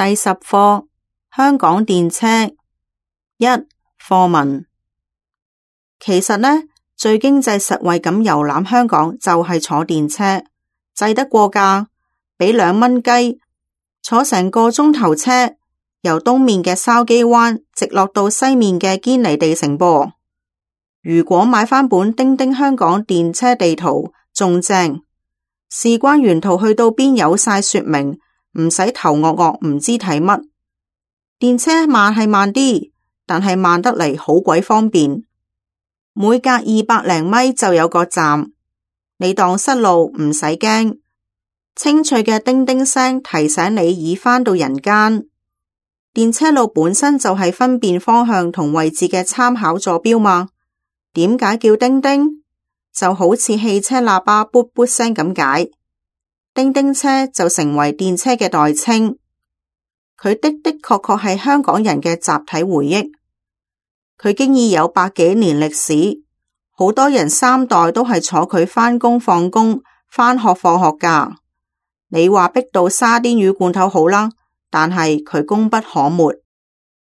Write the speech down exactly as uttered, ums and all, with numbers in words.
第十課香港電車一課文。其實呢，最經濟實惠咁遊覽香港就係坐電車，制得過價，俾兩蚊雞，坐成個鐘頭車，由東面嘅筲箕灣直落到西面嘅堅尼地城噃。如果買返本叮叮香港電車地圖仲正，事關沿途去到邊有晒說明，唔使頭惡惡唔知睇乜。電車慢係慢啲，但係慢得嚟好鬼方便，每隔二百零米就有個站，你當失路唔使驚，清脆嘅叮叮聲提醒你已返到人間。電車路本身就係分辨方向同位置嘅參考座標嘛，點解叫叮叮？就好似汽車喇叭噗噗聲咁解，叮叮車就成為電車嘅代稱。佢的的確確係香港人嘅集體回憶，佢經已有百幾年歷史，好多人三代都係坐佢返工放工、返學放學㗎。你話逼到沙甸魚罐頭好啦，但係佢功不可沒。